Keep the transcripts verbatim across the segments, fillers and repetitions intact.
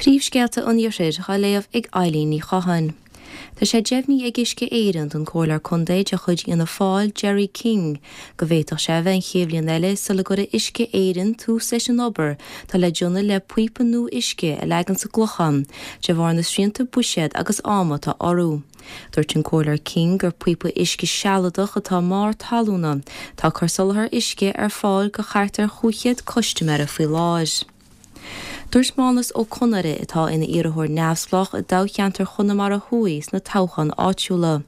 Príomhscéalta an Iarthair á léamh ag Eileen Ní Chatháin. Tá sé deimhnithe ag Uisce Éireann don Comhairleoir Contae de chuid Fhianna Fáil Jerry King go bhféadfadh sé a bheith an chéad bhliain eile sula gcuirfidh Uisce Éireann tús leis an obair atá le déanamh le píopa nua uisce a leagan sa gClochán de bharr na srianta buiséad agus ama atá orthu. Dúirt an Comhairleoir King gur píopa uisce sealadach atá i mbarr talúna atá ag cur soláthar uisce ar fáil go thart ar chúig chéad custaiméara faoi láthair. Dúirt Mánas Ó Conaire atá ina iarrthóir neamhspleách i dtoghcheantar Chonamara Thuaidh sna toghcháin áitiúla.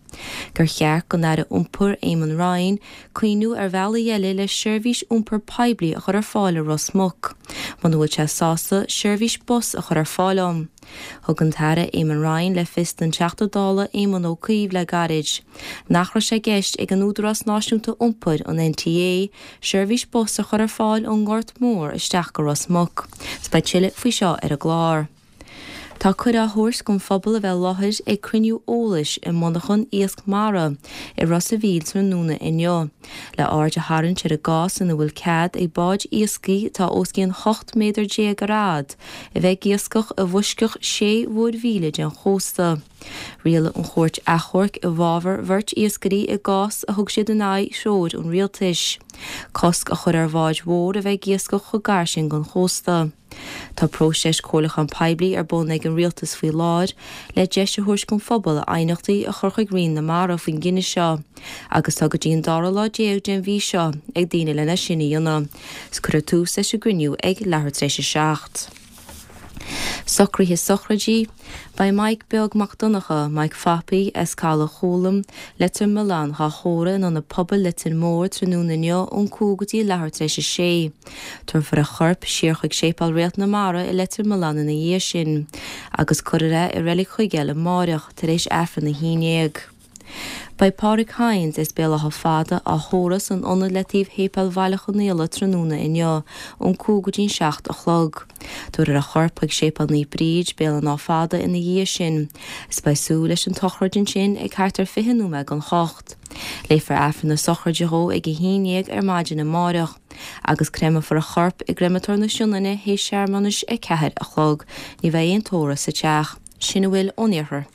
Gur cheart don Aire Iompair Eamon Ryan cuimhneamh ar bhealaí eile le seirbhís iompair poiblí a chur ar fáil i Ros Muc, muna bhfuil sé sásta seirbhís bus a chur ar fáil ann. Thug an tAire Eamon Ryan le fios don Teachta Dála Éamon Ó Cuív le gairid nach raibh sé i gceist ag an Údarás Náisiúnta Iompair, an NTA, seirbhís bus a chur ar fáil ón nGort Mór isteach go Ros Muc. 'S beidh tuilleadh faoi seo ar an gclár. Tá cuireadh á thabhairt don phobal a bheith i láthair ag cruinniú eolais i monarchan iasc mara i Ros a' Mhíl tráthnóna inniu, le aird a tharraingt ar an gcás ina bhfuil cead ag báid iascaigh atá os cionn ocht méadar déag ar fhad a bheith ag iascach i bhfoisceacht sé mhuirmhíle den chósta. Rialaigh an Chúirt Achomhairc i bhfabhar bheirt iascairí i gcás a thug siad in aghaidh threoir an rialtais, cosc a chur ar bháid mhór a bheith ag iascach chomh gar sin don chósta. Tá próiseas comhairliúchán poiblí ar bun ag an rialtas faoi láthair le deis a thabhairt don phobal aighneachtaí a chur chuig Roinn na Mara faoin gcinneadh seo agus tá go dtí an dara lá déag den mhí seo ag daoine lena sin a dhéanamh. 'S cuirfear tús leis an gcruinniú ag leathuair tar éis a seacht. Socruithe sochraide, Beidh Mike Beag Mac Donncha, Mike Phapaí, as Caladh Chúlaim, Leitir Mealláin, dhá thórramh in Ionad Pobail Leitir Móir tráthnóna inniu ón cúig go dtí leathuair tar éis a sé. Tabharfar a chorp siar chuig Séipéal Réalt na Mara i Leitir Mealláin ina dhiaidh sin, agus cuirfear é i Reilig Chuigéil amáireach tar éis Aifreann a haon déag. Beidh Pádraig Hynes as Béal Átha Fada á thórramh san ionad le taobh Shéipéal Bhaile Chonaola tráthnóna inniu ón cúig go dtí'n seacht a chlog. Tabharfar a chorp chuig Séipéal Naomh Bríd, Béal an Átha Fada ina dhiaidh sin. Is beidh súil leis an tsochraid ansin ag thart ar fiche nóiméad don hocht. Léifear Aifreann na sochraide dhó ag a haon dhéag ar maidin amáireach agus créamfar a chorp i gCreamatóir na Sionainne théis searmanais a ceathair a chlog. Ní bheidh aon tórramh sa teach. Sin a bhfuil ón iarthar.